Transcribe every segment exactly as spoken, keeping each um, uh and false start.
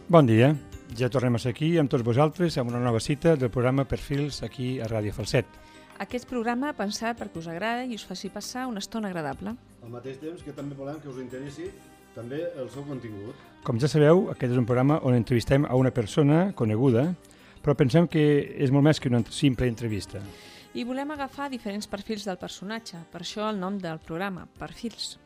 Bon dia, ja tornem a ser aquí amb tots vosaltres amb una nova cita del programa Perfils aquí a Ràdio Falset. Aquest programa pensat perquè us agrada i us faci passar una estona agradable. Al mateix temps que també volem que us interessi també el seu contingut. Com ja sabeu, aquest és un programa on entrevistem a una persona coneguda, però pensem que és molt més que una simple entrevista. I volem agafar diferents perfils del personatge, per això el nom del programa, Perfils.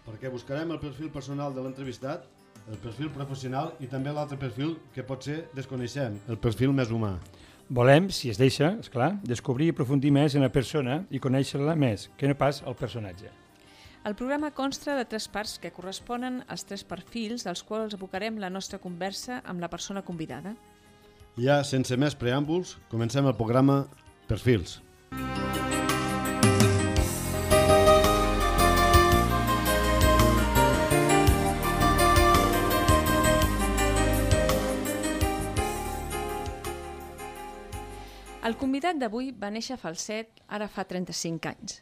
Perquè buscarem el perfil personal de l'entrevistat, el perfil professional i també l'altre perfil que potser desconeixem, el perfil més humà. Volem, si es deixa, esclar, descobrir i aprofundir més en la persona i conèixer-la més, que no pas el personatge. El programa consta de tres parts que corresponen als tres perfils dels quals abocarem la nostra conversa amb la persona convidada. Ja, sense més preàmbuls, comencem el programa Perfils. El convidat d'avui va néixer a Falset ara fa trenta-cinc anys.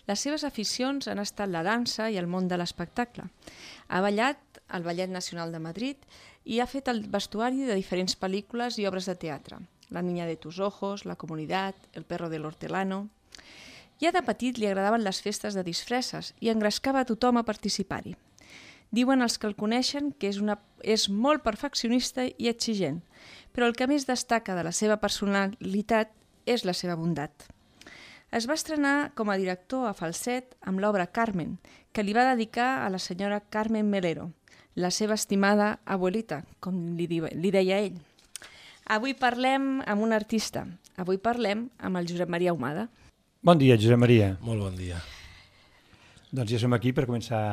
Les seves aficions han estat la dansa i el món de l'espectacle. Ha ballat al Ballet Nacional de Madrid i ha fet el vestuari de diferents pel·lícules i obres de teatre. La niña de tus ojos, La comunitat, El perro del hortelano. Ja de petit li agradaven les festes de disfresses i engrescava a tothom a participar-hi. Diuen els que el coneixen que és, una, és molt perfeccionista i exigent, però el que més destaca de la seva personalitat és la seva bondat. Es va estrenar com a director a Falset amb l'obra Carmen, que li va dedicar a la senyora Carmen Melero, la seva estimada abuelita, com li, di, li deia ell. Avui parlem amb un artista. Avui parlem amb el Josep Maria Ahumada. Bon dia, Josep Maria. Molt bon dia. Doncs ja som aquí per començar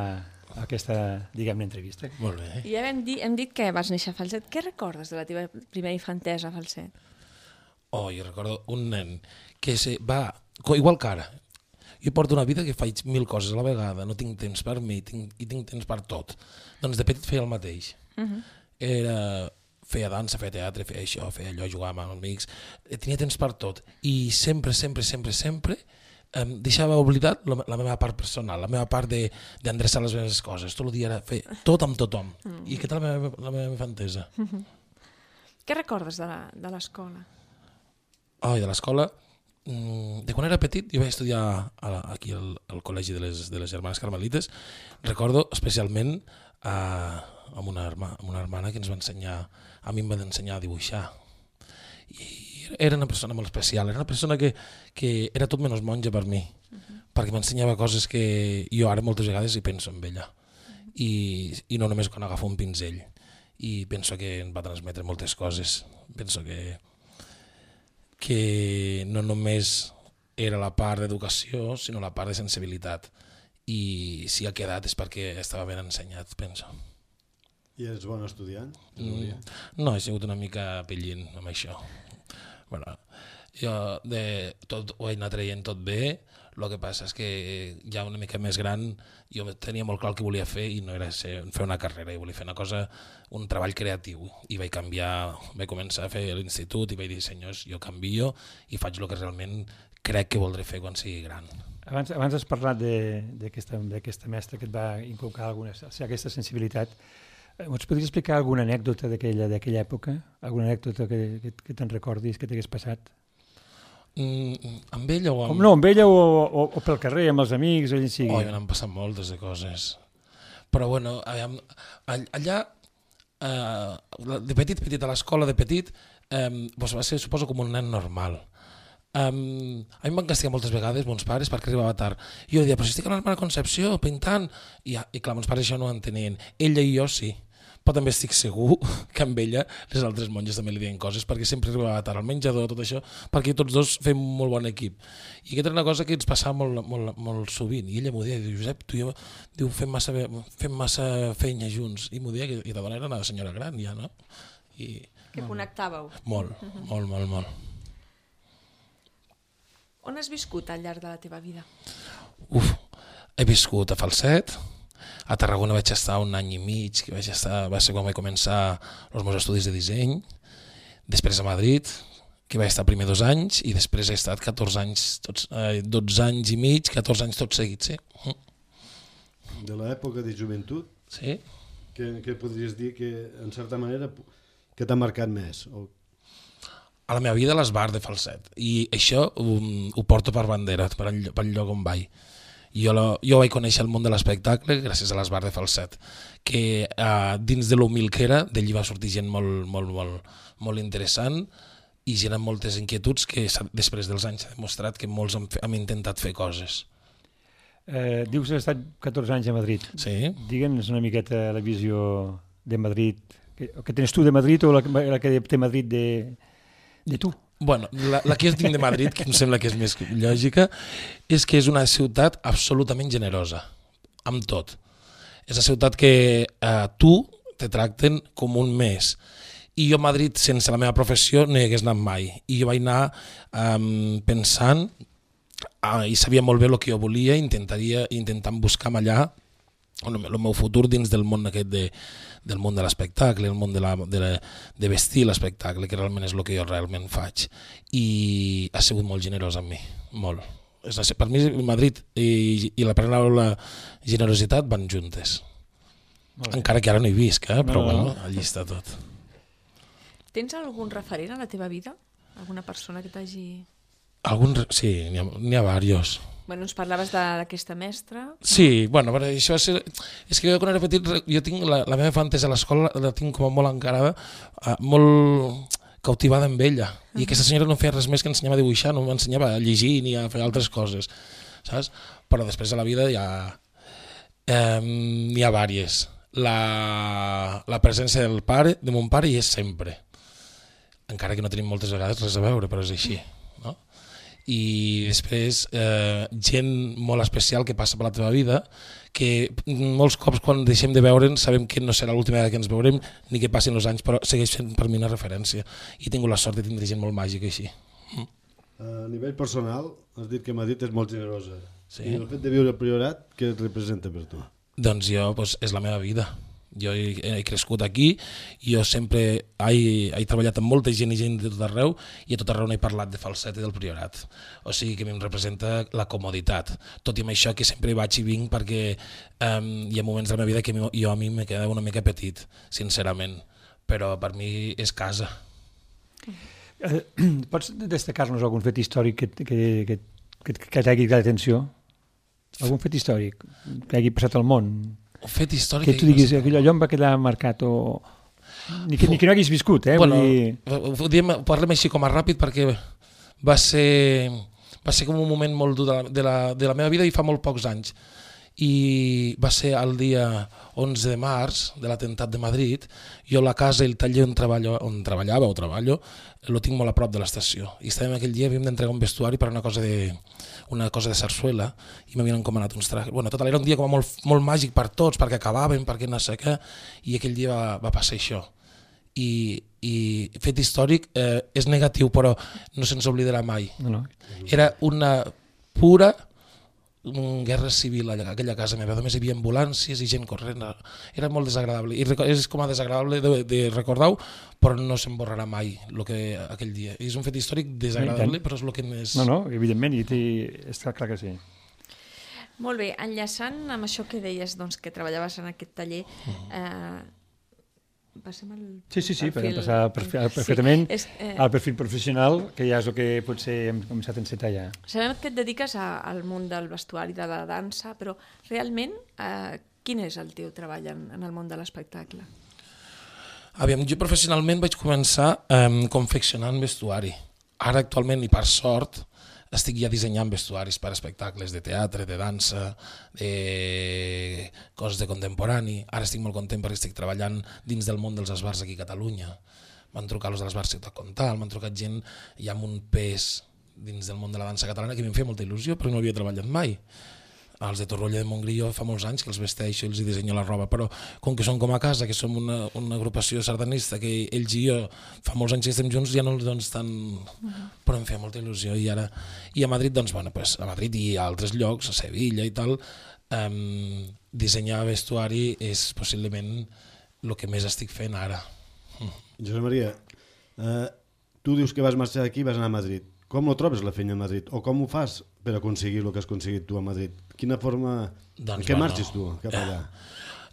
aquesta, diguem-ne, entrevista. Molt bé. I ja hem dit, hem dit que vas néixer a Falset. Què recordes de la teva primera infantesa a Falset? Oh, jo recordo un nen que se va, igual que ara, jo porto una vida que faig mil coses a la vegada, no tinc temps per mi tinc, i tinc temps per tot. Doncs de petit feia el mateix. Uh-huh. Era, feia dansa, feia teatre, feia això, feia allò, jugava amb amics, tenia temps per tot. I sempre, sempre, sempre, sempre em deixava oblidat la, la meva part personal, la meva part d'endreçar les meves coses. Tot el dia era fer tot amb tothom. Uh-huh. I aquesta és la meva, la meva infantesa. Uh-huh. Què recordes de l'escola? Oh, i de l'escola, de quan era petit, jo vaig estudiar a, aquí al, al col·legi de les, de les germanes carmelites. Recordo especialment a, amb, una herma, amb una hermana que ens va ensenyar, a mi em va ensenyar a dibuixar. I era una persona molt especial, era una persona que, que era tot menys monja per mi, uh-huh. perquè m'ensenyava coses que jo ara moltes vegades hi penso en ella. Uh-huh. I, I no només quan agafo un pinzell. I penso que em va transmetre moltes coses. Penso que que no només era la part d'educació, sinó la part de sensibilitat. I si ha quedat és perquè estava ben ensenyat, penso. I eres bon estudiant? Mm, no, he sigut una mica pellint amb això. Bueno, jo de tot, ho he anat traient tot bé, el que passa és que ja una mica més gran jo tenia molt clar el que volia fer i no era ser, fer una carrera, i volia fer una cosa, un treball creatiu, i vaig canviar, vaig començar a fer l'institut i vaig dir, senyors, jo canvio i faig el que realment crec que voldré fer quan sigui gran. Abans, abans has parlat d'aquesta mestra que et va inculcar alguna, o sigui, aquesta sensibilitat. Ens podries explicar alguna anècdota d'aquella d'aquella època? Alguna anècdota que, que, que te'n recordis, que t'hagués passat? Mm, amb ella o amb... Com no, amb ella o, o, o pel carrer, amb els amics, o allà sigui. Oh, m'han passat moltes de coses. Però bueno, allà, eh, de petit, petit, a l'escola de petit, eh, doncs va ser, suposo, com un nen normal. Um, a mi em van castigar moltes vegades mons pares perquè arribava tard. Jo deia, però si estic a l'Hermana Concepció pintant, i, i clar, mons pares això no ho entenien. Ella i jo sí, però també estic segur que amb ella les altres monges també li deien coses perquè sempre arribava tard al menjador, tot això, perquè tots dos fem molt bon equip. I aquesta era una cosa que ens passava molt, molt, molt sovint, i ella m'ho deia, diu, Josep, tu i jo diu, fem, massa, fem massa feina junts, i m'ho deia que la dona era una senyora gran ja, no? I, que connectàveu. Molt, molt, molt, molt. On has viscut al llarg de la teva vida? Uf, he viscut a Falset, a Tarragona vaig estar un any i mig, que vaig estar, va ser quan vaig començar els meus estudis de disseny, després a Madrid, que vaig estar primer dos anys, i després he estat catorze anys, tots, eh, dotze anys i mig, catorze anys tots seguits, sí. De l'època de joventut, sí. que, que podries dir que, en certa manera, que t'ha marcat més? O... A la meva vida les bars de falset, i això um, ho porto per bandera, per el, per el lloc on vaig. Jo, lo, jo vaig conèixer el món de l'espectacle gràcies a les bars de falset, que uh, dins de l'humil que era, d'allí va sortir gent molt, molt, molt, molt interessant i gent amb moltes inquietuds que després dels anys s'ha demostrat que molts hem, hem intentat fer coses. Eh, dius que has estat catorze anys a Madrid. Sí. Digue'ns una miqueta la visió de Madrid, que, que tens tu de Madrid o la, la que té Madrid de, de tu? Bueno, la, la que jo tinc de Madrid, que em sembla que és més lògica, és que és una ciutat absolutament generosa, amb tot. És una ciutat que eh, tu te tracten com un més. I jo a Madrid, sense la meva professió, no hi hagués anat mai. I jo vaig anar eh, pensant, eh, i sabia molt bé el que jo volia, intentaria intentant buscar allà el meu futur dins del món aquest de, del món de l'espectacle, el món de, la, de, la, de vestir l'espectacle, que realment és el que jo realment faig. I ha sigut molt generós amb mi, molt. És, per mi Madrid i, i la paraula generositat van juntes. Encara que ara no hi visc, eh? Però no, no. Bueno, allí està tot. Tens algun referent a la teva vida? Alguna persona que t'hagi... Algun, sí, n'hi ha, n'hi ha diversos. Bueno, ens parlaves d'aquesta mestra. Sí, bueno, però això va ser... És que jo quan era petit, jo tinc la, la meva infantesa a l'escola, la tinc com a molt encarada, uh, molt cautivada amb ella. I aquesta senyora no feia res més que ensenyava a dibuixar, no m'ensenyava a llegir ni a fer altres coses, saps? Però després de la vida ja... Eh, n'hi ha vàries. La, la presència del pare, de mon pare, hi és sempre. Encara que no tenim moltes vegades res a veure, però és així, no? I després eh, gent molt especial que passa per la teva vida, que molts cops quan deixem de veure'ns sabem que no serà l'última vegada que ens veurem ni que passin els anys, però segueix sent per mi una referència i he tingut la sort de tindre gent molt màgica així. Mm. A nivell personal, has dit que Madrid és molt generosa. Sí. I el fet de viure al Priorat, què representa per tu? Doncs jo, doncs, és la meva vida. Jo he, he crescut aquí, jo sempre he, he treballat amb molta gent i gent de tot arreu i a tot arreu no he parlat de falset i del Priorat. O sigui que a mi em representa la comoditat. Tot i amb això que sempre vaig i vinc perquè um, hi ha moments de la meva vida que jo a mi me queda una mica petit, sincerament. Però per mi és casa. Eh, pots destacar-nos algun fet històric que, que, que, que, que t'hagi cridat l'atenció? Algun fet històric que hagi passat al món? Un fet històric... Que tu diguis, allò em va quedar marcat o... Ni que, ni que no haguis viscut, eh? Bueno, Vull dir... diem, parlem així com a ràpid perquè va ser, va ser com un moment molt dur de la, de, la, de la meva vida i fa molt pocs anys. I va ser el dia onze de març de l'atemptat de Madrid. Jo la casa i el taller on, treballo, on treballava o treballo lo tinc molt a prop de l'estació. I estàvem aquell dia, havíem d'entregar un vestuari per una cosa de... una cosa de sarsuela i m'havien encomanat uns trajes. Bueno, total, era un dia com molt, molt màgic per tots, perquè acabàvem, perquè no sé què, i aquell dia va, va passar això. I, i fet històric eh, és negatiu, però no se'ns oblidarà mai. No, no. Era una pura guerra civil allà, aquella casa meva. A més hi havia ambulàncies i gent corrent. Era molt desagradable. I és com a desagradable de, de recordar-ho, però no se'n borrarà mai el que aquell dia. És un fet històric desagradable, però és el que més... No, no, evidentment, i té... està clar que sí. Molt bé, enllaçant amb això que deies, doncs, que treballaves en aquest taller, eh, passem al Sí, sí, sí, perfil... per passar perfil, perfectament sí, és, eh... al perfil professional, que ja és el que potser hem començat a encetar ja. Sabem que et dediques a, al món del vestuari, de la dansa, però realment eh, quin és el teu treball en, en el món de l'espectacle? Aviam, jo professionalment vaig començar eh, confeccionant vestuari. Ara actualment, i per sort, estic ja dissenyant vestuaris per espectacles de teatre, de dansa, de coses de contemporani. Ara estic molt content perquè estic treballant dins del món dels esbars aquí a Catalunya. M'han trucat els de l'esbar Ciutat Comtal, m'han trucat gent ja amb un pes dins del món de la dansa catalana que m'hi feia molta il·lusió, però no havia treballat mai. Els de Torroella de Montgrí jo fa molts anys que els vesteixo i els dissenyo la roba, però com que som com a casa, que som una, una agrupació sardanista, que ells i jo fa molts anys que estem junts, ja no els dones tant... Uh-huh. Però em feia molta il·lusió. I ara i a Madrid, doncs, bueno, pues, a Madrid i a altres llocs, a Sevilla i tal, um, dissenyar vestuari és possiblement el que més estic fent ara. Uh. Josep Maria, eh, tu dius que vas marxar d'aquí i vas anar a Madrid. Com ho trobes la feina a Madrid? O com ho fas per aconseguir el que has aconseguit tu a Madrid? Quina forma... Doncs, en què bueno, marxes tu cap allà?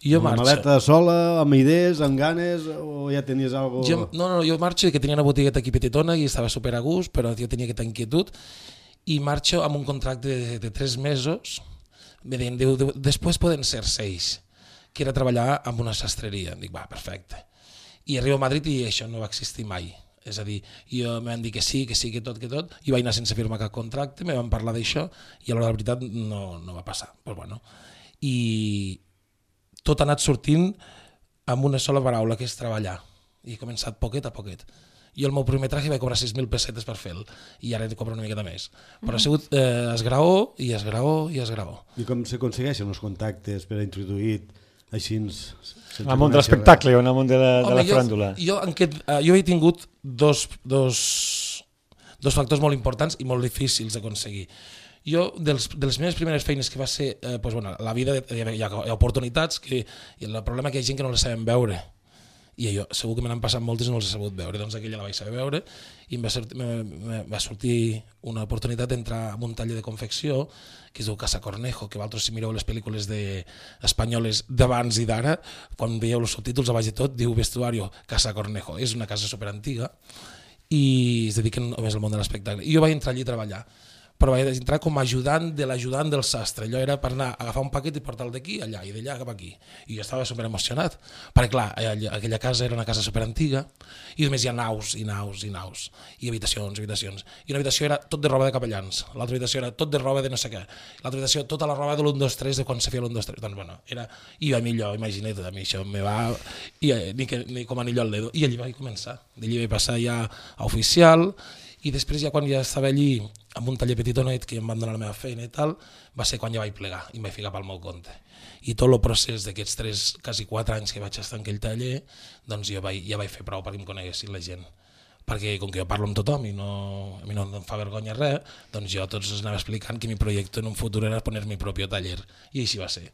Jo Una marxo. maleta sola, amb idees, amb ganes, o ja tenies algo... Jo, no, no, jo marxo, que tenia una botigueta aquí petitona i estava super a gust, però jo tenia aquesta inquietud, i marxo amb un contracte de, de tres mesos, me deien, diu, diu, després poden ser seis, que era treballar amb una sastreria. Dic, va, perfecte. I arribo a Madrid i això no va existir mai. És a dir, jo em van dir que sí, que sí, que tot, que tot, i vaig anar sense firmar cap contracte, me van parlar d'això, i a l'hora de la veritat no, no va passar. Però bueno. I tot ha anat sortint amb una sola paraula, que és treballar. I he començat poquet a poquet. Jo el meu primer traje vaig cobrar sis mil pessetes per fer-lo, i ara he de cobrar una miqueta més. Però ha sigut eh, esgraó, i esgraó, i esgraó. I com s'aconsegueixen els contactes per a introduir així... En el món de l'espectacle o en el món de la, Home, de la jo, faràndula? Jo, en aquest, uh, jo he tingut dos, dos, dos factors molt importants i molt difícils d'aconseguir. Jo, dels, de les meves primeres feines, que va ser, eh, pues, bueno, la vida, hi ha, hi ha oportunitats, que el problema que hi ha gent que no les sabem veure. I jo segur que me n'han passat moltes i no les he sabut veure, doncs aquella la vaig saber veure i em va, sortir, me, me, va sortir una oportunitat d'entrar en un taller de confecció que es diu Casa Cornejo, que vosaltres si mireu les pel·lícules de, espanyoles d'abans i d'ara, quan veieu els subtítols a baix de tot diu vestuario Casa Cornejo, és una casa superantiga i es dediquen només al món de l'espectacle. I jo vaig entrar allí a treballar, però vaig entrar com a ajudant de l'ajudant del sastre. Allò era per anar a agafar un paquet i portar-lo d'aquí allà i d'allà cap aquí. I jo estava super emocionat, perquè clar, aquella casa era una casa superantiga i només hi ha naus i naus i naus i habitacions, habitacions. I una habitació era tot de roba de capellans, l'altra habitació era tot de roba de no sé què, l'altra habitació tota la roba de l'u dos tres de quan se feia l'u dos tres. Doncs bueno, era... I a mi allò, imagina't, a mi això me va... I, ni, que, ni com anillo al dedo. I allí vaig començar. D'allí vaig passar ja a oficial. I després ja quan ja estava allí amb un taller petitonet que em van donar la meva feina i tal, va ser quan ja vaig plegar i em vaig ficar pel meu compte. I tot el procés d'aquests tres, quasi quatre anys que vaig estar en aquell taller, doncs jo vaig, ja vaig fer prou perquè em coneguessin la gent. Perquè com que jo parlo amb tothom i no, a mi no em fa vergonya res, doncs jo a tots els anava explicant que mi projecte en un futur era poner mi propi taller. I així va ser.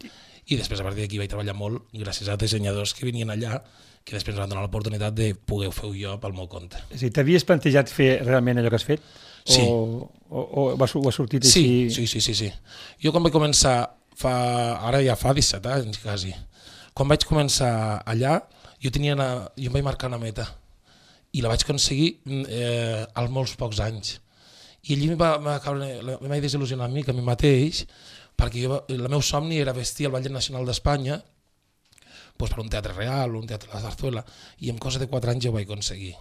I després a partir d'aquí vaig treballar molt gràcies a dissenyadors que venien allà, que després ens van donar l'oportunitat de poder fer jo pel meu compte. És a dir, t'havies plantejat fer realment allò que has fet? Sí. O, o, o va, ho ha sortit sí, així? Sí, sí, sí, sí. Jo quan vaig començar, fa, ara ja fa disset anys quasi, quan vaig començar allà, jo, tenia una, jo em vaig marcar una meta i la vaig aconseguir eh, als molts pocs anys. I allí em va, va caure, em vaig desil·lusionar a mi, que a mi mateix, perquè jo, el meu somni era vestir el Ballet Nacional d'Espanya pues per un teatre real, un teatre de la Zarzuela, i en cosa de quatre anys ja ho vaig aconseguir.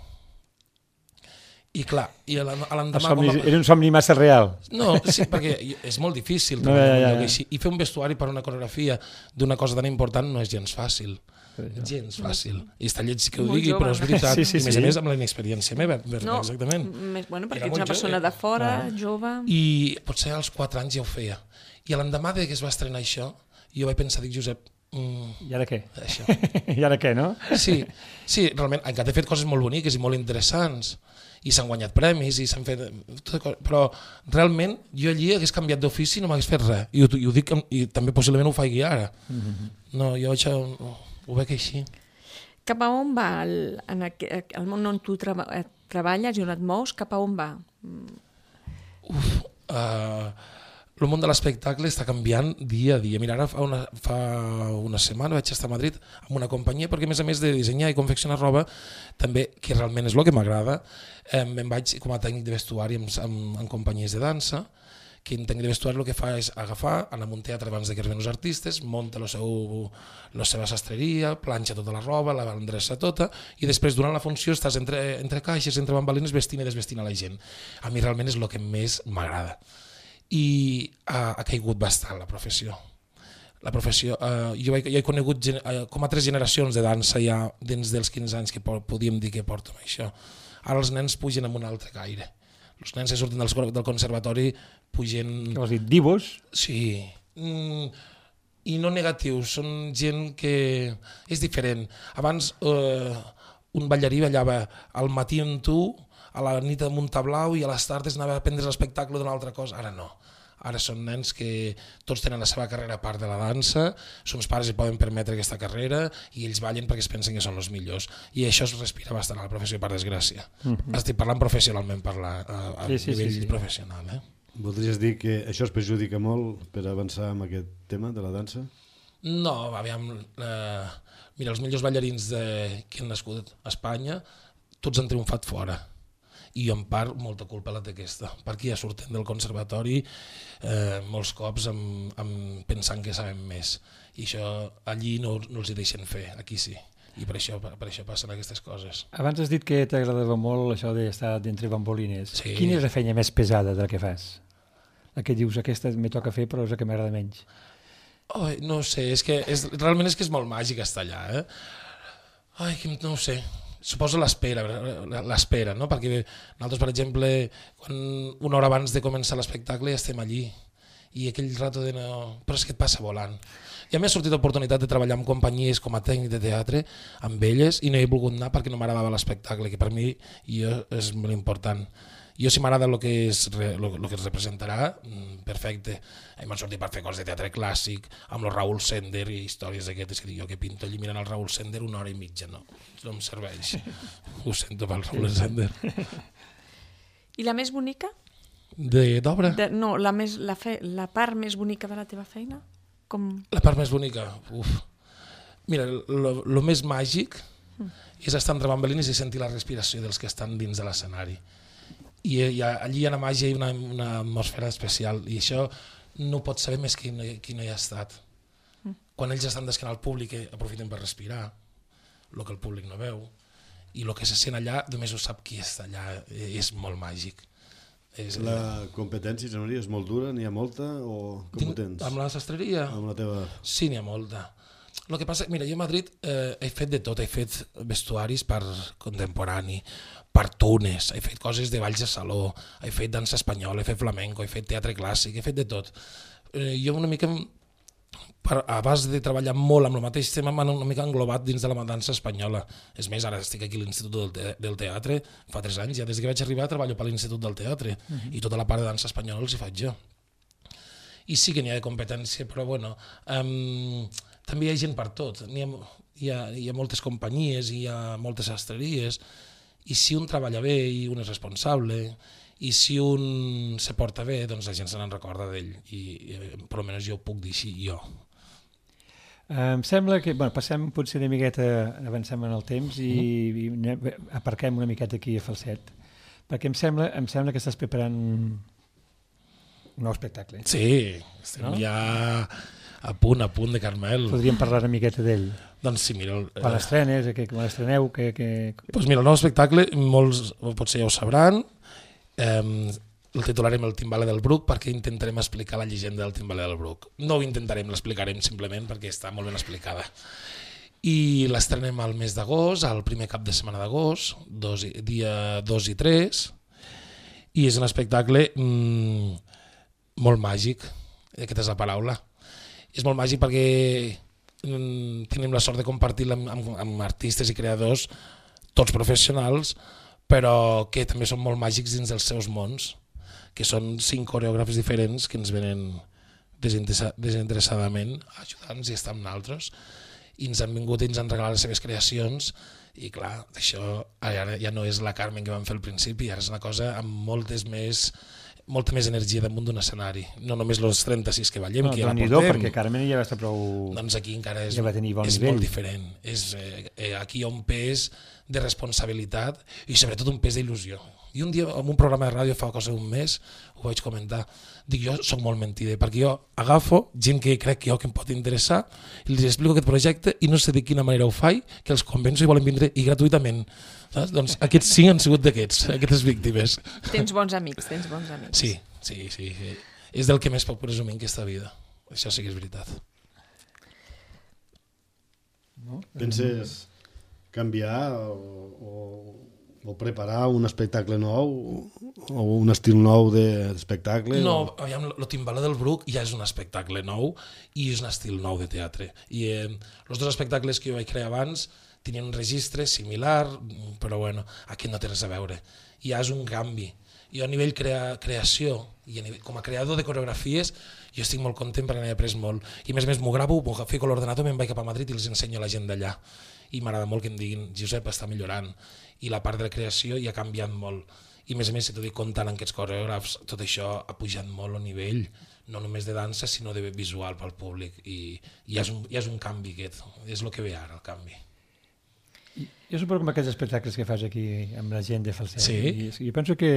I clar, i a l'endemà... Somni, va... Era un somni massa real. No, sí, perquè és molt difícil no, ja, ja, ja. I fer un vestuari per una coreografia d'una cosa tan important no és gens fàcil. Gens fàcil. I està lleig que ho digui, jove, però és veritat. Sí, sí, sí. I a més a més amb la inexperiència meva, no, exactament. Més, bueno, perquè ets una persona jove. De fora, ah. jove... I potser als quatre anys ja ho feia. I a l'endemà que es va estrenar això, jo vaig pensar, dic, Josep, Mm, I ara què? Això. I ara què, no? Sí, sí, realment, encara he fet coses molt boniques i molt interessants i s'han guanyat premis i s'han fet... Però realment jo allí hagués canviat d'ofici i no m'hagués fet res. I ho, i ho dic, i també possiblement ho faig ara. Mm-hmm. No, jo això ho veig així. Cap a on va el, en el, el món on tu treba, treballes i on et mous? Cap a on va? Uf, uh, el món de l'espectacle està canviant dia a dia. Mira, ara fa una, fa una setmana vaig estar a Madrid amb una companyia perquè a més a més de dissenyar i confeccionar roba, també, que realment és el que m'agrada, eh, em vaig com a tècnic de vestuari en, en, en companyies de dansa, que en tècnic de vestuari el que fa és agafar, anar a un teatre abans de que arriben els artistes, munta la, seu, la seva sastreria, planxa tota la roba, la endreça tota, i després durant la funció estàs entre, entre caixes, entre bambalines, vestint i desvestint a la gent. A mi realment és el que més m'agrada. I ha, ha caigut bastant la professió. La professió eh, jo, he, jo he conegut eh, com a tres generacions de dansa ja dins dels quinze anys que podíem dir que porto amb això. Ara els nens pugen amb un altre caire. Els nens que surten del, del conservatori pugen... Què vols dir, divos? Sí. Mm, i no negatius, són gent que és diferent. Abans eh, un ballarí ballava al matí amb tu, a la nit amb un tablau i a les tardes anava a aprendre l'espectacle d'una altra cosa. Ara no. Ara són nens que tots tenen la seva carrera a part de la dansa, els pares hi poden permetre aquesta carrera i ells ballen perquè es pensen que són els millors. I això es respira bastant a la professió, per desgràcia. Mm-hmm. Estic parlant professionalment, parlar, a, a sí, sí, nivell sí, sí. professional. Eh? Voldries dir que això es perjudica molt per avançar amb aquest tema de la dansa? No, aviam, eh, mira, els millors ballarins de, que han nascut a Espanya, tots han triomfat fora. I jo en part molta culpa la té aquesta, perquè ja surten del conservatori eh, molts cops amb, amb pensant que sabem més. I això allí no, no els hi deixen fer, aquí sí. I per això, per això passen aquestes coses. Abans has dit que t'agradava molt això d'estar d'entre bambolines. Sí. Quina és la feina més pesada de la que fas? La que dius, aquesta me toca fer però és la que m'agrada menys. Oh, no ho sé, és que és, realment és que és molt màgic estar allà. Eh? Ai, no ho sé, suposo l'espera, l'espera, no? Perquè nosaltres, per exemple, quan una hora abans de començar l'espectacle ja estem allí i aquell rato de no... Però és que et passa volant. Ja m'ha sortit l'oportunitat de treballar amb companyies com a tècnic de teatre, amb elles, i no he volgut anar perquè no m'agradava l'espectacle, que per mi jo, és molt important. Jo si m'agrada el que, és, lo, lo que es representarà, perfecte. M'han sortit per fer coses de teatre clàssic, amb el Raúl Sender i històries d'aquestes, que dic jo que pinto allí mirant el Raúl Sender una hora i mitja, no, no em serveix. Ho sento pel Raúl Sender. I la més bonica? D'obra? No, la, més, la, fe, la part més bonica de la teva feina? Com... La part més bonica? Uf. Mira, el més màgic mm. és estar entre bambolines i sentir la respiració dels que estan dins de l'escenari. I, i allí hi ha una màgia i una, una atmosfera especial, i això no ho pot saber més qui no, qui no hi ha estat. Mm. Quan ells estan d'esquena al públic, aprofiten per respirar, el que el públic no veu, i el que se sent allà només ho sap qui està allà, és molt màgic. És, la competència, Josep Maria, és molt dura? N'hi ha molta o com ho tens? Amb la sastreria? Amb la teva... Sí, n'hi ha molta. El que passa, mira, jo a Madrid eh, he fet de tot, he fet vestuaris per contemporani, per tunes, he fet coses de balls de saló, he fet dansa espanyola, he fet flamenco, he fet teatre clàssic, he fet de tot. Eh, jo una mica, per, a base de treballar molt amb el mateix tema, m'han una mica englobat dins de la dansa espanyola. És més, ara estic aquí a l'Institut del, te del Teatre, fa tres anys, ja des que vaig arribar treballo per l'Institut del Teatre, uh -huh. i tota la part de dansa espanyola els hi faig jo. I sí que n'hi ha de competència, però bueno, um, també hi ha gent per tot. Hi ha, hi, ha, hi ha moltes companyies, hi ha moltes sastreries, i si un treballa bé i un és responsable, i si un se porta bé, doncs la gent se n'en recorda d'ell, i, i per almenys jo ho puc dir així, jo. Em sembla que, bueno, passem potser una miqueta, avancem en el temps i, mm. i aparquem una miqueta aquí a Falset, perquè em sembla, em sembla que estàs preparant un nou espectacle. Sí, estem no? ja a punt, a punt de Carmel. Podríem parlar una miqueta d'ell. Doncs sí, mira... El, quan l'estrenes, que, quan l'estreneu... Que, que... Pues mira, el nou espectacle, molts potser ja ho sabran, eh, el titularem El Timbale del Bruc, perquè intentarem explicar la llegenda del Timbale del Bruc. No ho intentarem, l'explicarem simplement perquè està molt ben explicada. I l'estrenem al mes d'agost, al primer cap de setmana d'agost, dia dos i tres, i és un espectacle mmm, molt màgic, aquesta és la paraula. És molt màgic perquè mmm, tenim la sort de compartir-la amb, amb, amb artistes i creadors, tots professionals, però que també són molt màgics dins dels seus mons, que són cinc coreògrafs diferents que ens venen desinteressadament a ajudar-nos i estar amb nosaltres, i ens han vingut i ens han regalat les seves creacions, i clar, això ara ja no és la Carmen que vam fer al principi, ara és una cosa amb moltes més, molta més energia damunt d'un escenari, no només els trenta-sis que ballem, no, que ja la portem. Perquè Carmen ja va estar prou... Doncs aquí encara és, ja va tenir bon és nivell. Molt diferent, és, eh, aquí hi ha un pes de responsabilitat i sobretot un pes d'il·lusió. I un dia, en un programa de ràdio fa cosa d'un mes, ho vaig comentar, dic, jo soc molt mentider, perquè jo agafo gent que crec que jo que em pot interessar i els explico aquest projecte i no sé de quina manera ho faig, que els convenço i volen vindre i gratuïtament. Saps? Doncs aquests cinc han sigut d'aquests, aquestes víctimes. Tens bons amics, tens bons amics. Sí, sí, sí. És del que més puc presumir en aquesta vida. Això sí que és veritat. No? Penses canviar o, o, o preparar un espectacle nou o un estil nou d'espectacle? No, o... aviam, el Timbale del Bruc ja és un espectacle nou i és un estil nou de teatre. I eh, els dos espectacles que jo vaig crear abans tenien un registre similar, però bueno, aquest no té res a veure. Ja és un canvi. Jo a nivell crea, creació i a nivell, com a creador de coreografies jo estic molt content perquè n'he après molt. I a més a més m'ho gravo, m'ho fico a l'ordenador, me'n vaig cap a Madrid i els ensenyo a la gent d'allà. I m'agrada molt que em diguin, Josep, està millorant. I la part de la creació ja ha canviat molt. I a més a més, si t'ho dic comptant amb aquests coreògrafs, tot això ha pujat molt el nivell, no només de dansa, sinó de visual pel públic. I, i ja, és un, ja és un canvi aquest, és el que ve ara, el canvi. Jo suposo que amb aquests espectacles que fas aquí amb la gent de Falset, sí. i, jo penso que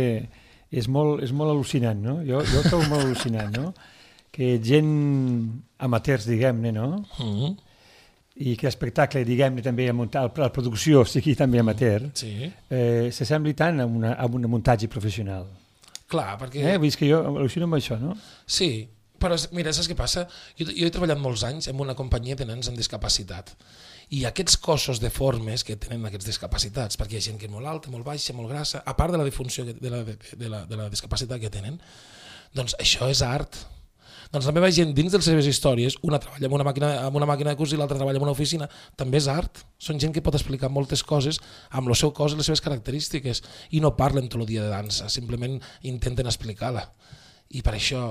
és molt, és molt al·lucinant, no? Jo, jo ho trobo molt al·lucinant, no? Que gent amateurs, diguem-ne, no? Mm-hmm. I que l'espectacle, diguem-ne, també a muntar, la producció sigui també amateur, sí. eh, s'assembli tant a, una, a un muntatge professional. Clar, perquè... Eh? Vull dir que jo al·lucino amb això, no? Sí, però mira, saps què passa? Jo, jo he treballat molts anys en una companyia de nens amb discapacitat i aquests cossos deformes que tenen aquests discapacitats, perquè hi ha gent que és molt alta, molt baixa, molt grassa, a part de la difunció de la, de, de la, de la discapacitat que tenen, doncs això és art. Doncs la meva gent, dins de les seves històries, una treballa amb una màquina, amb una màquina de cosir, l'altra treballa en una oficina, també és art. Són gent que pot explicar moltes coses amb el seu cos i les seves característiques i no parlen tot el dia de dansa, simplement intenten explicar-la. I per això,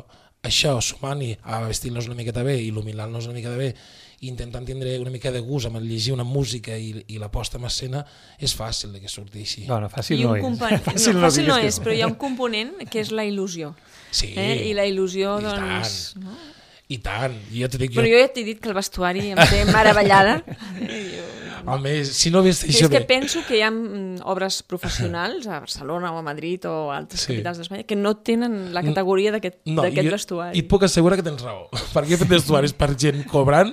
això, sumant-hi a vestir-nos una miqueta bé, il·luminar-nos una miqueta bé, i intentant tindre una mica de gust amb llegir una música i, i la posta en escena, és fàcil que surti així. No, no, fàcil no és. Fàcil no, fàcil no és, però hi ha un component que és la il·lusió. Sí, eh? I la il·lusió, i doncs... Tant, no? I tant. Jo te dic, però jo... jo ja t'he dit que el vestuari em té meravellada. Home, si no vés això és que bé. penso que hi ha obres professionals a Barcelona o a Madrid o a altres sí. capitals d'Espanya que no tenen la categoria d'aquest no, vestuari. I et puc assegurar que tens raó, perquè he fet vestuaris per gent cobrant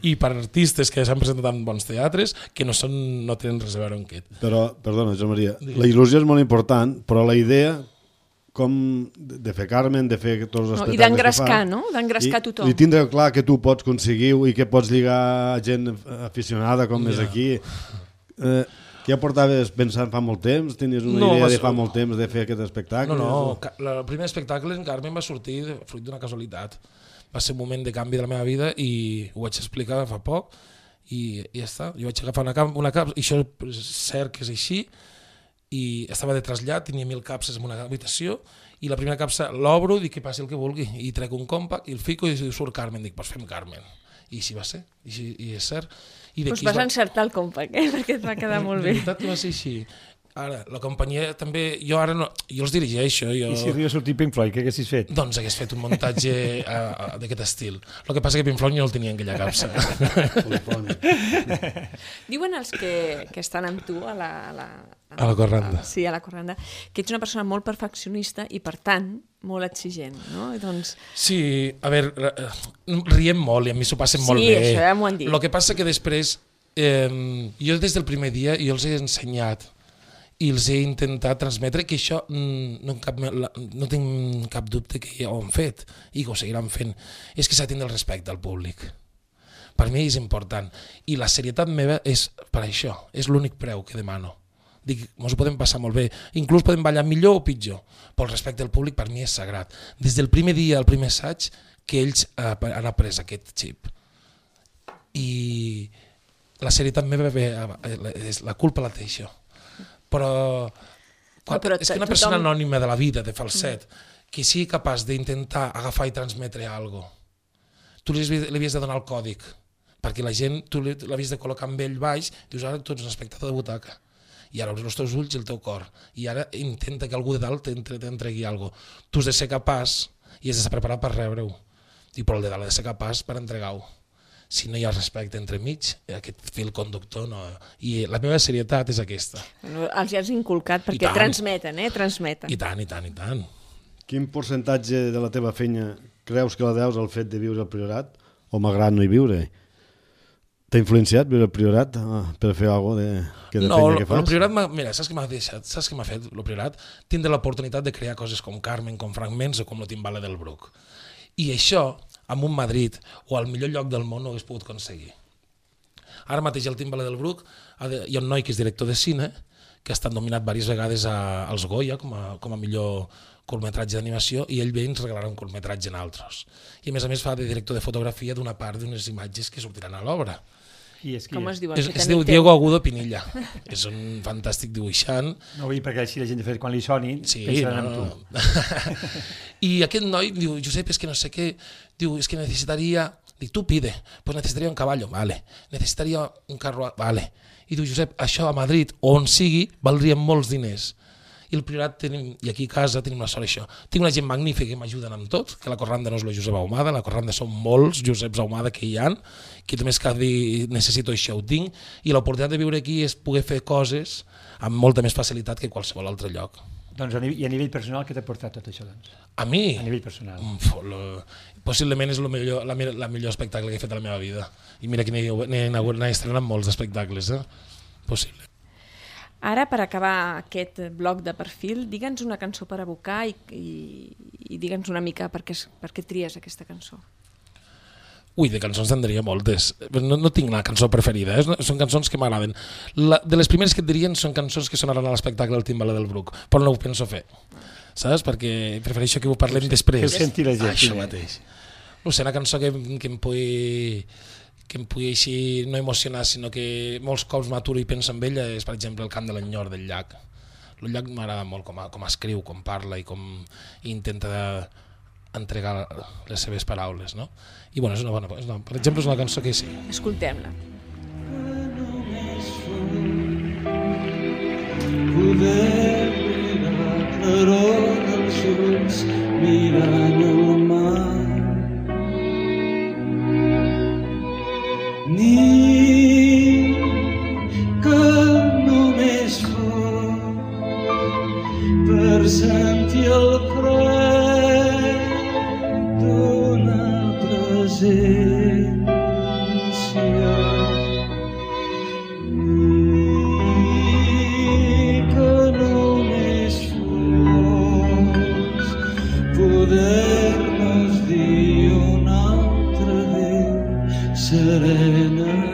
i per artistes que s'han presentat en bons teatres que no, són, no tenen res a veure amb aquest. Però, perdona, Joan Maria, la il·lusió és molt important, però la idea com de fer Carmen, de fer tots els no, espectacles i d'engrescar, que fa, no? D'engrescar tothom. I tindre clar que tu pots aconseguir i que pots lligar a gent aficionada com yeah. és aquí. Eh, que ja portaves pensant fa molt temps? Tenies una no, idea de fa molt temps de fer aquest espectacle? No, no, o... el primer espectacle en Carmen va sortir fruit d'una casualitat. Va ser un moment de canvi de la meva vida i ho vaig explicar fa poc i, i ja està. Jo vaig agafar una, una cap, i això és cert que és així, i estava de trasllat, tenia mil capses en una habitació i la primera capsa l'obro, dic que passi el que vulgui i trec un compact i el fico i surt Carmen, dic, doncs fem Carmen i així va ser, i, així, i és cert. Doncs vas va... encertar el compact, eh? Perquè et va quedar molt bé. De veritat que va ser així. Ara, la companyia també, jo ara no, jo els dirigeixo. Jo... I si arriba a sortir Pink Floyd, què haguessis fet? Doncs hagués fet un muntatge uh, d'aquest estil. El que passa que Pink Floyd no el tenia en aquella capsa. Diuen els que, que estan amb tu a la... A la, a la corranda. A, sí, a la corranda, que ets una persona molt perfeccionista i, per tant, molt exigent, no? I doncs... Sí, a veure, riem molt i a mi s'ho passen sí, molt bé. Sí, això ja m'ho han dit. El que passa que després, eh, jo des del primer dia jo els he ensenyat i els he intentat transmetre que això no, cap, no tinc cap dubte que ja ho han fet i que ho seguiran fent. És que s'ha de tindre el respecte al públic. Per mi és important. I la serietat meva és per això. És l'únic preu que demano. Dic, ens ho podem passar molt bé. Inclús podem ballar millor o pitjor. Però el respecte al públic per mi és sagrat. Des del primer dia, el primer assaig, que ells eh, han après aquest xip. I la serietat meva, bé, la culpa la té això. Però, quan, no, però és que una persona tothom... anònima de la vida, de Falset, mm. que sigui capaç d'intentar agafar i transmetre alguna cosa, tu li havies de donar el còdic, perquè la gent, tu l'havies de col·locar amb ell baix, dius, ara tu ets un espectador de butaca, i ara obres els teus ulls i el teu cor, i ara intenta que algú de dalt t'entregui alguna cosa. Tu has de ser capaç i has de ser preparat per rebre-ho, i però el de dalt ha de ser capaç per entregar-ho. Si no hi ha respecte entre mig, aquest fil conductor no... I la meva serietat és aquesta. Els ja has inculcat perquè transmeten, eh? Transmeten. I tant, i tant, i tant. Quin percentatge de la teva feina creus que la deus al fet de viure al Priorat? O malgrat no hi viure? T'ha influenciat viure al Priorat per fer alguna cosa de, que de no, feina que fas? No, el Priorat, mira, saps què m'ha deixat? Saps què m'ha fet el Priorat? Tindre l'oportunitat de crear coses com Carmen, com Fragments o com el Timbale del Bruc. I això, amb un Madrid o al millor lloc del món no ho hagués pogut aconseguir. Ara mateix al Timbale del Bruc hi ha un noi que és director de cine que ha estat nominat diverses vegades a, als Goya com a, com a millor curtmetratge d'animació i ell ve i ens regalarà un curtmetratge en altres. I a més a més fa de director de fotografia d'una part d'unes imatges que sortiran a l'obra. Qui és, qui Com es diu? Es, es diu Diego Agudo Pinilla. És un fantàstic dibuixant. No vull dir perquè així la gent de fet quan li soni sí, pensaran no, en tu. I aquest noi diu, Josep, és que no sé què, diu, és que necessitaria, dic, tu pide, pues necessitaria un caballo, vale, necessitaria un carro, vale. I diu, Josep, això a Madrid o on sigui valdria molts diners. i el Priorat tenim, i aquí a casa tenim la sort això. Tinc una gent magnífica que m'ajuden amb tot, que la Corranda no és la Josep Ahumada, la Corranda són molts Joseps Ahumada que hi ha, que només cada dia necessito això ho tinc, i l'oportunitat de viure aquí és poder fer coses amb molta més facilitat que qualsevol altre lloc. Doncs a nivell, i a nivell personal, què t'ha portat tot això? Doncs? A mi? A nivell personal. Mm, lo, possiblement és lo millor, la, la millor espectacle que he fet a la meva vida. I mira que n'he estrenat molts espectacles, eh? Possible. Ara, per acabar aquest bloc de perfil, digue'ns una cançó per abocar i, i, i digue'ns una mica per què, per què tries aquesta cançó. Ui, de cançons en diria moltes. No, no tinc una cançó preferida, eh? Són cançons que m'agraden. De les primeres que et dirien són cançons que sonaran a l'espectacle del Timbaler del Bruc, però no ho penso fer, saps? Perquè prefereixo que ho parlem després. Que ho senti la gent. Això mateix. No sé, una cançó que, que em pugui que em pugui així no emocionar, sinó que molts cops m'aturo i penso en ella, és per exemple el cant de l'enyor del llac. El llac m'agrada molt com, a, com escriu, com parla i com intenta entregar les seves paraules, no? I bueno, és una bona, és una, per exemple, és una cançó que sí. Escoltem-la. Poder mirar claror dels ulls mirant el mar, ni que només fos per sentir el fred d'una presència, ni que només fos poder-nos dir un altre adéu serenament.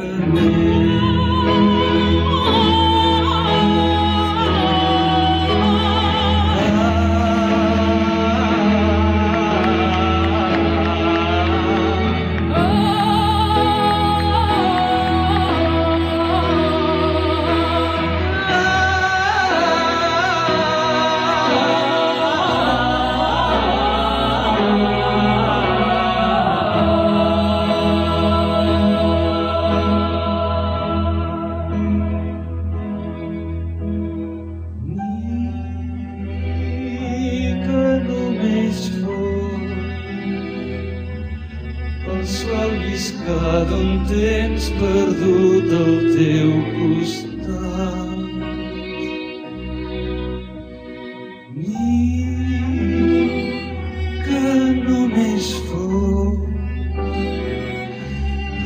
D'un temps perdut al teu costat, ni que només fos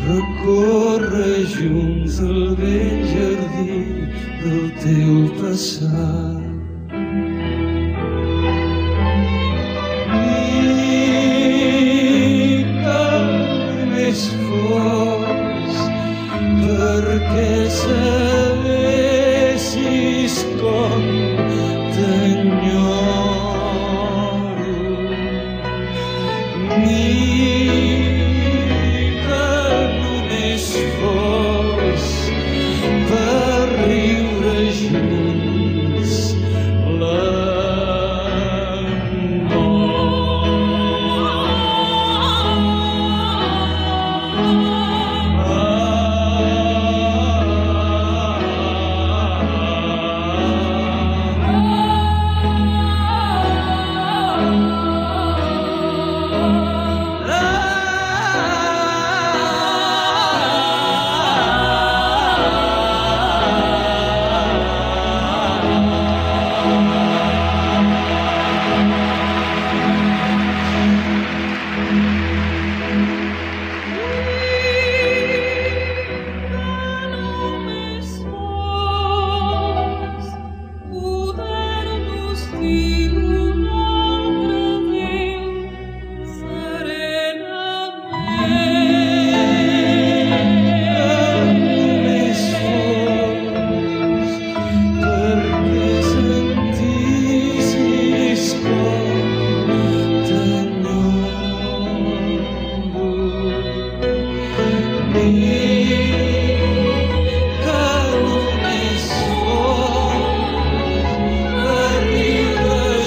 recórrer junts el vell jardí del teu passat. Perquè sabessis com t'enyoro, ni que només fos per riure junts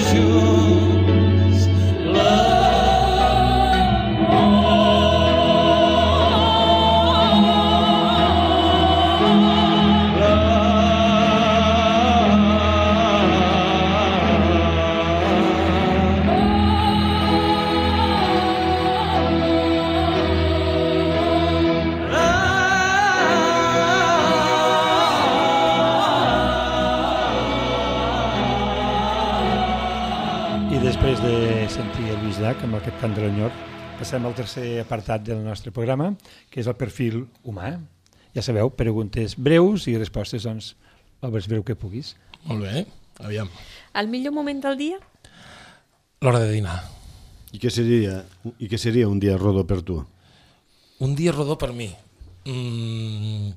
you I després de sentir el Lluís Llach amb aquest cant de l'enyor, passem al tercer apartat del nostre programa, que és el perfil humà. Ja sabeu, preguntes breus i respostes, doncs, el més breu que puguis. Molt bé, aviam. El millor moment del dia? L'hora de dinar. I què seria, i què seria un dia rodó per tu? Un dia rodó per mi. Mm,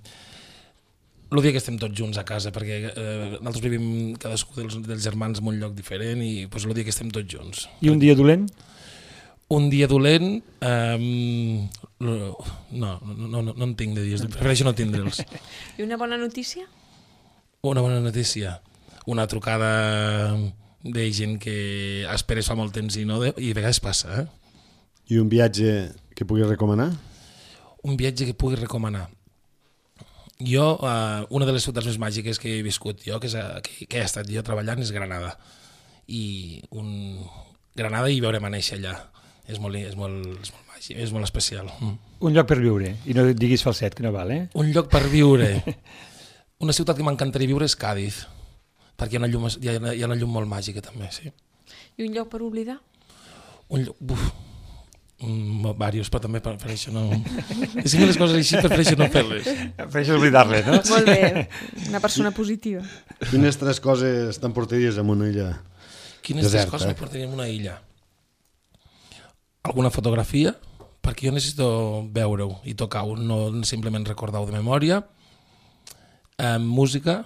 el dia que estem tots junts a casa, perquè eh, nosaltres vivim cadascú dels, dels germans en un lloc diferent i pues, el dia que estem tots junts. I un dia dolent? Un dia dolent, eh, no, no, no, no en tinc de dies, prefereixo no tindre'ls. I una bona notícia? Una bona notícia, una trucada de gent que esperes fa molt temps i no, i a vegades passa. Eh? I un viatge que puguis recomanar? Un viatge que pugui recomanar. Jo, eh, una de les ciutats més màgiques que he viscut jo, que, és, que, que he estat jo treballant, és Granada. I un... Granada i veurem a néixer allà. És molt, és molt, és molt màgic, és molt especial. Mm. Un lloc per viure, i no diguis falset, que no val, eh? Un lloc per viure. Una ciutat que m'encantaria viure és Càdiz, perquè hi ha una llum, hi ha, hi ha una llum molt màgica també, sí. I un lloc per oblidar? Un lloc... Uf, mm, diversos, però també prefereixo no... És que les coses així prefereixo no fer-les. Prefereixo oblidar-les, no? Molt bé, una persona positiva. Quines tres coses t'emportaries en una illa Quines deserta? tres coses m'emportaria en una illa? Alguna fotografia, perquè jo necessito veure-ho i tocar-ho, no simplement recordar-ho de memòria. Eh, música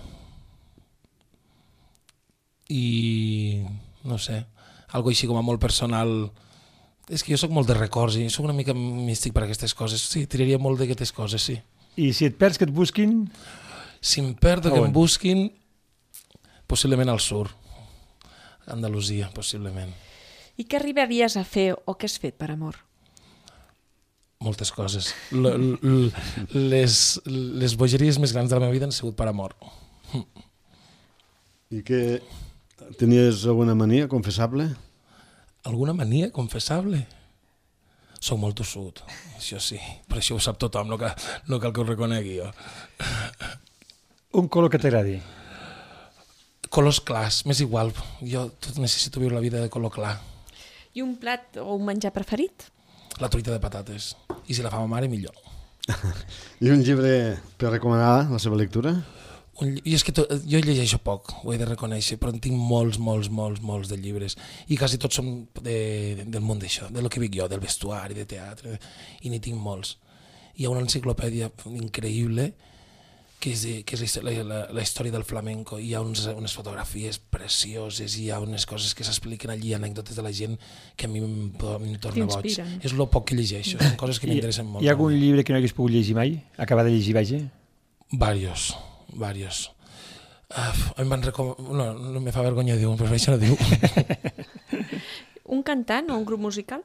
i no sé, algo així com a molt personal. És que jo sóc molt de records i sóc una mica místic per aquestes coses. Sí, tiraria molt d'aquestes coses, sí. I si et perds, que et busquin? Si em perdo, que On? em busquin, possiblement al sur, Andalusia, possiblement. I què arribaries a fer o què has fet per amor? Moltes coses. L -l les, les bogeries més grans de la meva vida han sigut per amor. I que tenies alguna mania confessable? Alguna mania confessable? Soc molt tossut, això sí, però això ho sap tothom, no cal, no cal que ho reconegui jo. Un color que t'agradi? Colors clars, m'és igual, jo tot necessito viure la vida de color clar. I un plat o un menjar preferit? La truita de patates, i si la fa ma mare millor. I un llibre per recomanar la seva lectura? Un, i és que to, jo llegeixo poc, ho he de reconèixer, però en tinc molts, molts, molts, molts de llibres. I quasi tots són de, del món d'això, de lo que vic jo, del vestuari, de teatre, i n'hi tinc molts. Hi ha una enciclopèdia increïble que és, de, que és la, la, la història del flamenco. Hi ha uns, unes fotografies precioses, hi ha unes coses que s'expliquen allí, anècdotes de la gent que a mi em, em torna boig. És el poc que llegeixo, són coses que m'interessen molt. Hi ha algun llibre que no hagués pogut llegir mai? Acabar de llegir, vaja? Varios. Varios. Uh, em van recom... No, no me fa vergonya dir-ho, però això no diu. Un cantant o un grup musical?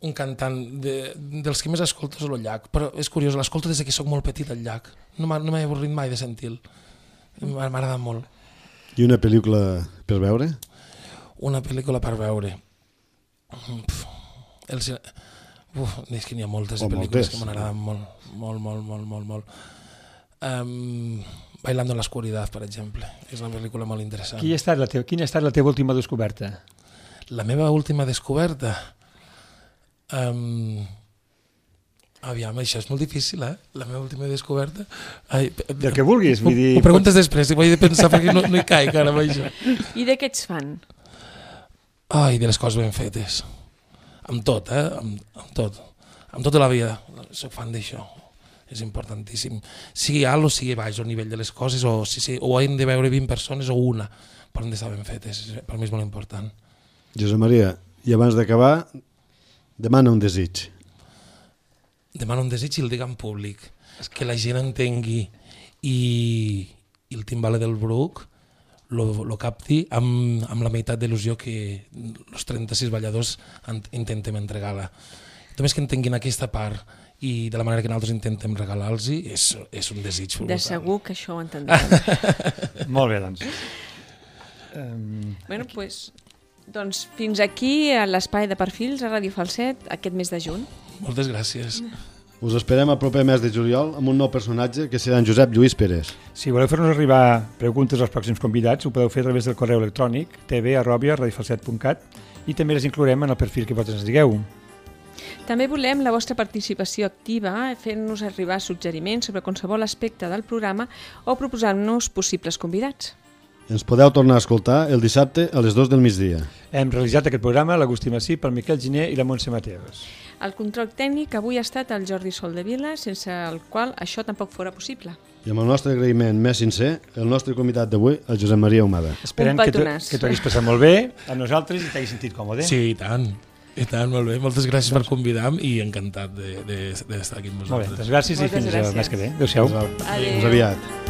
Un cantant de, dels que més escolto és el Llach, però és curiós, l'escolto des que sóc molt petit el Llach. No m'ha no avorrit mai de sentir-lo. M'ha agradat molt. I una pel·lícula per veure? Una pel·lícula per veure. Uf, el, uf, és que n'hi ha moltes o pel·lícules moltes. que m'agraden molt, molt, molt, molt, molt, molt. Um, Bailando en l'oscuridad, per exemple. És una pel·lícula molt interessant. Qui ha estat la teva, quina ha estat la teva última descoberta? La meva última descoberta... Um, aviam, això és molt difícil, eh? La meva última descoberta... Ai, Del que vulguis, vull dir... Ho preguntes després, ho he de pensar perquè no, no hi caic ara amb això. I de què ets fan? Ai, de les coses ben fetes. Amb tot, eh? Amb, amb tot. Amb tota la vida. Soc fan d'això. És importantíssim. Sigui alt o sigui baix el nivell de les coses, o, si, si, o hem de veure vint persones o una, però han d'estar ben fetes. Per mi és molt important. Josep Maria, i abans d'acabar, demana un desig. Demano un desig i el dic en públic. Que la gent entengui i, i el timbale del Bruc lo, lo capti amb, amb la meitat d'il·lusió que els trenta-sis balladors intentem entregar-la. Només que entenguin aquesta part i de la manera que nosaltres intentem regalar-los és, és un desig. De segur que això ho entendrem. Molt bé, doncs. Um, bueno, pues, doncs fins aquí a l'espai de perfils a Ràdio Falset aquest mes de juny. Moltes gràcies. Us esperem el proper mes de juliol amb un nou personatge que serà en Josep Lluís Pérez. Si voleu fer-nos arribar preguntes als pròxims convidats, ho podeu fer a través del correu electrònic tv arroba radiofalset punt cat i també les inclourem en el perfil que vosaltres ens digueu. També volem la vostra participació activa, fent-nos arribar suggeriments sobre qualsevol aspecte del programa o proposant-nos possibles convidats. Ens podeu tornar a escoltar el dissabte a les dues del migdia. Hem realitzat aquest programa l'Agustí Massí, pel Miquel Giner i la Montse Mateos. El control tècnic avui ha estat el Jordi Soldevila, sense el qual això tampoc fora possible. I amb el nostre agraïment més sincer, el nostre convidat d'avui, el Josep Maria Humada. Esperem que t'ho hagis passat molt bé amb nosaltres i t'hagis sentit còmode. Sí, i tant. I tant, molt bé. Moltes gràcies per convidar-me i encantat d'estar de, de, de aquí amb vosaltres. Molt bé, doncs gràcies i fins el mes que ve. Adéu-siau. Fins aviat.